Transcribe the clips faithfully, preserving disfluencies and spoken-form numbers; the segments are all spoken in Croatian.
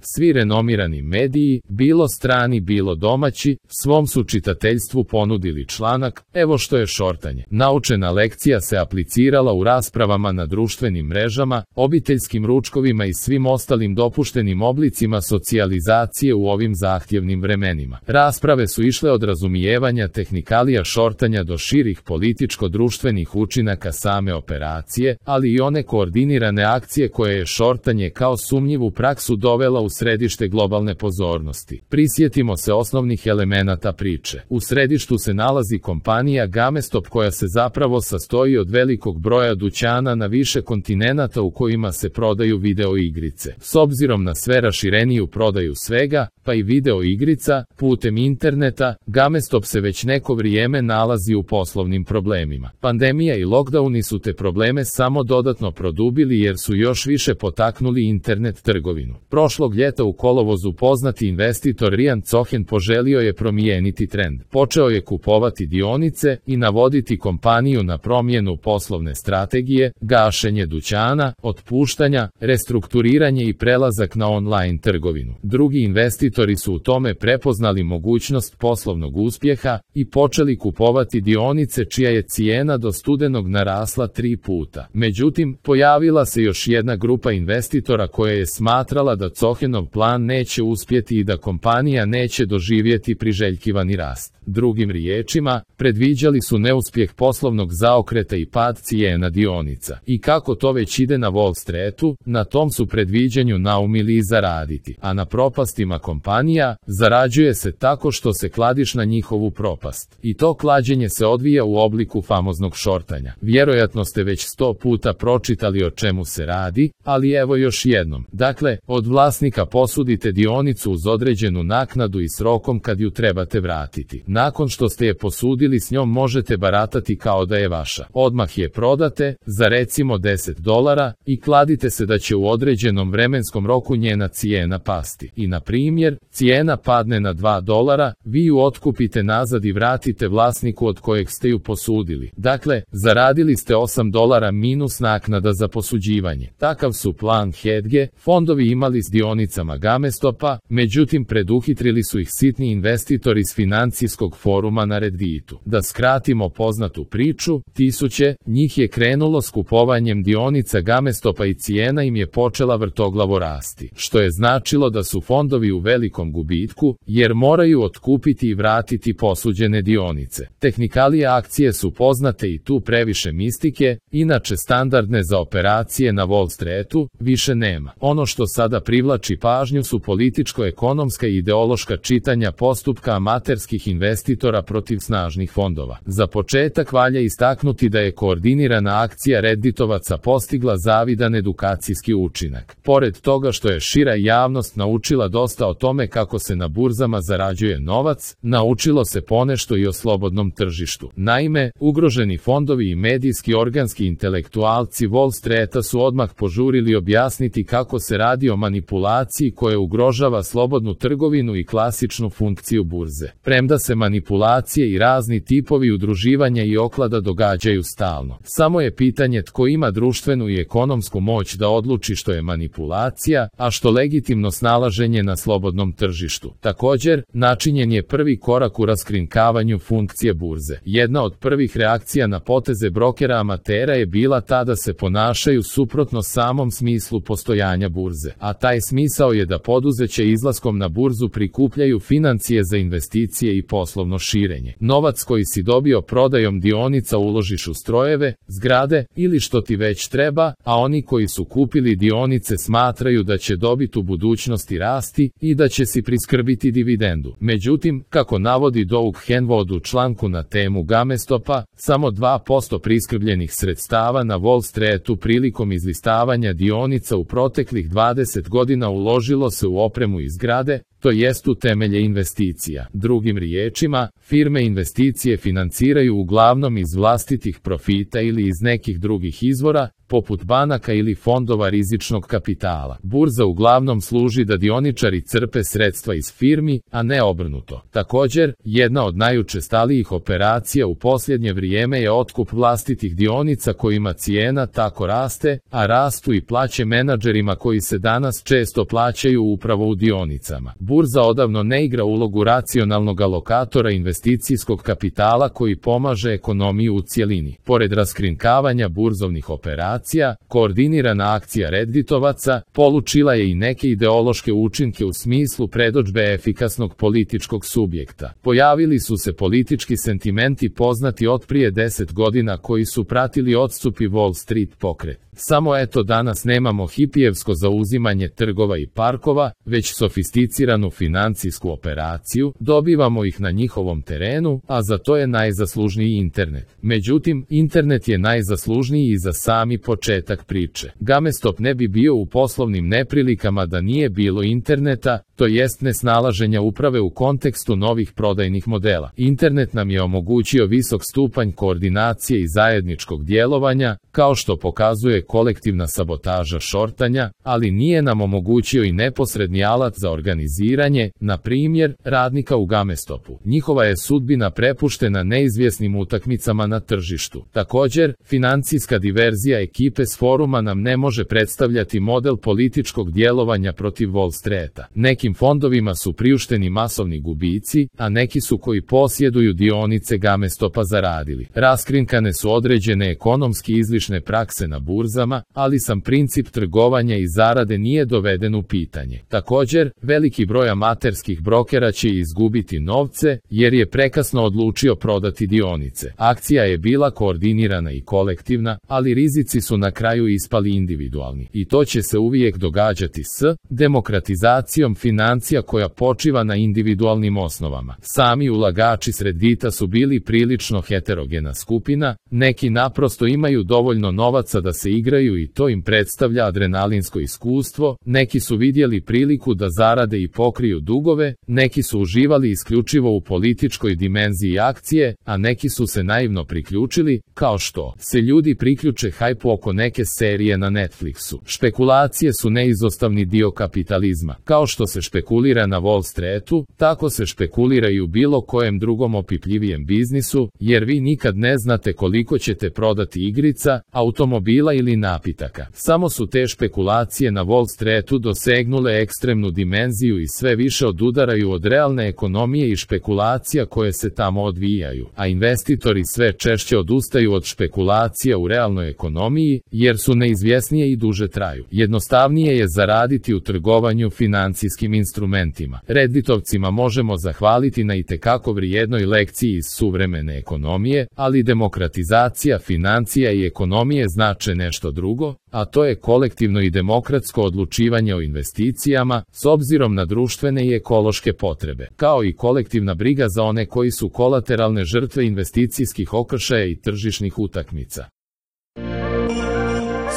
Svi renomirani mediji, bilo strani bilo domaći, svom su čitateljstvu ponudili članak "Evo što je šortanje". Naučena lekcija se aplicirala u raspravama na društvenim mrežama, obiteljskim ručkovima i svim ostalim dopuštenim oblicima socijalizacije u ovim zahtjevnim vremenima. Rasprave su išle od razumijevanja tehnikalija šortanja do širih političko-društvenih učinaka same operacije, ali i one koordinirane akcije koje je šortanje kao sumnjivu praksu dovela u središte globalne pozornosti. Prisjetimo se osnovnih elemenata priče. U središtu se nalazi kompanija GameStop koja se zapravo sastoji od velikog broja dućana na više kontinenata u kojima se prodaju video igrice. S obzirom na sve rašireniju prodaju svega, pa i video igrica, putem interneta, GameStop se već neko vrijeme nalazi u poslovnim problemima. Pandemija i lockdowni su te probleme samo dodatno produbili jer su još više potaknuli internet trgovinu. Prošlog ljeta u kolovozu poznati investitor Ryan Cohen poželio je promijeniti trend. Počeo je kupovati dionice i navoditi kompaniju na promjenu poslovne strategije, gašenje dućana, otpuštanja, restrukturiranje i prelazak na online trgovinu. Drugi investitori su u tome prepoznali mogućnost poslovnog uspjeha i počeli kupovati dionice čija je cijena do studenog narasla tri puta. Međutim, pojavila se još jedna grupa investitora koja je smatrala da Cohenov plan neće uspjeti i da kompanija neće doživjeti priželjkivani rast. Drugim riječima, predviđali su neuspjeh poslovnog zaokreta i pad cijena dionica. I kako to već ide na Wall Streetu, na tom su predviđanju naumili i zaraditi. A na propastima kompanija, zarađuje se tako što se kladiš na njihovu propast. I to klađenje se odvija u obliku famoznog šortanja. Vjerojatno ste već sto puta pročitali o čemu se radi, ali evo još jednom. Dakle, od vlasnika posudite dionicu uz određenu naknadu i s rokom kad ju trebate vratiti. Nakon što ste je posudili s njom možete baratati kao da je vaša. Odmah je prodate, za recimo deset dolara, i kladite se da će u određenom vremenskom roku njena cijena pasti. I na primjer, cijena padne na dva dolara, vi ju otkupite nazad i vratite vlasniku od kojeg ste ju posudili. Dakle, zaradili ste osam dolara minus naknada za posuđivanje. Takav su plan Hedge fondovi imali s dionicama GameStopa, međutim preduhitrili su ih sitni investitori iz financijskog foruma na Redditu. Da skratimo poznatu priču, tisuće njih je krenulo s kupovanjem dionica GameStopa i cijena im je počela vrtoglavo rasti, što je značilo da su fondovi u velikom gubitku, jer moraju otkupiti i vratiti posuđene dionice. Tehnikalije akcije su poznate i tu previše mistike, inače standardne za operacije na Wall Streetu više nema. Ono što sada privlači pažnju su političko-ekonomska i ideološka čitanja postupka amaterskih investitora protiv snažnih fondova. Za početak valja istaknuti da je koordinirana akcija Redditovaca postigla zavidan edukacijski učinak. Pored toga što je šira javnost naučila dosta o tome kako se na burzama zarađuje novac, naučilo se ponešto i o slobodnom tržištu. Naime, ugroženi fondovi i medijski organski intelektualci Wall Streeta su odmah požurili objasniti kako se radi o manipulaciji koja ugrožava slobodnu trgovinu i klasičnu funkciju burze. Premda se manipulacije i razni tipovi udruživanja i oklada događaju stalno. Samo je pitanje tko ima društvenu i ekonomsku moć da odluči što je manipulacija, a što legitimno snalaženje na slobodnom tržištu. Također, načinjen je prvi korak u raskrinkavanju funkcije burze. Jedna od prvih reakcija na poteze brokera amatera je bila ta da se ponašaju suprotno samom smislu postojanja burze, a taj smisao je da poduzeća izlaskom na burzu prikupljaju financije za investicije i poslovno širenje. Novac koji si dobio prodajom dionica uložiš u strojeve, zgrade ili što ti već treba, a oni koji su kupili dionice smatraju da će dobit u budućnosti rasti i da će si priskrbiti dividendu. Međutim, kako navodi Doug Henwood u članku na temu GameStopa, samo dva posto priskrbljenih sredstava na Wall Streetu prilikom izlistavanja dionica u proteklih dvadeset godina uložilo se u opremu i zgrade, to jest u temelje investicija. Drugim riječima, firme investicije financiraju uglavnom iz vlastitih profita ili iz nekih drugih izvora, poput banaka ili fondova rizičnog kapitala. Burza uglavnom služi da dioničari crpe sredstva iz firmi, a ne obrnuto. Također, jedna od najučestalijih operacija u posljednje vrijeme je otkup vlastitih dionica kojima cijena tako raste, a rastu i plaće menadžerima koji se danas često plaćaju upravo u dionicama. Burza odavno ne igra ulogu racionalnog alokatora investicijskog kapitala koji pomaže ekonomiji u cjelini. Pored raskrinkavanja burzovnih operacija, koordinirana akcija Redditovaca polučila je i neke ideološke učinke u smislu predodžbe efikasnog političkog subjekta. Pojavili su se politički sentimenti poznati od prije deset godina koji su pratili odstupi Wall Street pokret. Samo eto danas nemamo hipijevsko zauzimanje trgova i parkova, već sofisticiranu financijsku operaciju, dobivamo ih na njihovom terenu, a za to je najzaslužniji internet. Međutim, internet je najzaslužniji i za sami početak priče. GameStop ne bi bio u poslovnim neprilikama da nije bilo interneta, to jest nesnalaženja uprave u kontekstu novih prodajnih modela. Internet nam je omogućio visok stupanj koordinacije i zajedničkog djelovanja, kao što pokazuje kolektivna sabotaža šortanja, ali nije nam omogućio i neposredni alat za organiziranje, na primjer, radnika u GameStopu. Njihova je sudbina prepuštena neizvjesnim utakmicama na tržištu. Također, financijska diverzija ekipe s foruma nam ne može predstavljati model političkog djelovanja protiv Wall Streeta. Nekim fondovima su priušteni masovni gubici, a neki su koji posjeduju dionice GameStopa zaradili. Raskrinkane su određene ekonomski izlišne prakse na burzama, ali sam princip trgovanja i zarade nije doveden u pitanje. Također, veliki broj amaterskih brokera će izgubiti novce, jer je prekasno odlučio prodati dionice. Akcija je bila koordinirana i kolektivna, ali rizici su na kraju ispali individualni. I to će se uvijek događati s demokratizacijom financija koja počiva na individualnim osnovama. Sami ulagači s Reddita su bili prilično heterogena skupina, neki naprosto imaju dovoljno novaca da se igraju i to im predstavlja adrenalinsko iskustvo, neki su vidjeli priliku da zarade i pokriju dugove, neki su uživali isključivo u političkoj dimenziji akcije, a neki su se naivno priključili, kao što se ljudi priključe hajpu oko neke serije na Netflixu. Špekulacije su neizostavni dio kapitalizma. Kao što se špekulira na Wall Streetu, tako se špekulira i u bilo kojem drugom opipljivijem biznisu, jer vi nikad ne znate koliko ćete prodati igrica, automobila ili napitaka. Samo su te špekulacije na Wall Streetu dosegnule ekstremnu dimenziju i sve više odudaraju od realne ekonomije i špekulacija koje se tamo odvijaju, a investitori sve češće odustaju od špekulacija u realnoj ekonomiji, jer su neizvjesnije i duže traju. Jednostavnije je zaraditi u trgovanju financijskim instrumentima. Redditovcima možemo zahvaliti na itekako vrijednoj lekciji iz suvremene ekonomije, ali demokratizacija financija i ekonomije znače nešto drugo, a to je kolektivno i demokratsko odlučivanje o investicijama s obzirom na društvene i ekološke potrebe, kao i kolektivna briga za one koji su kolateralne žrtve investicijskih okršaja i tržišnih utakmica.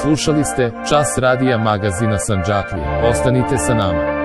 Slušali ste Čas radija magazina Sandžaklija. Ostanite sa nama.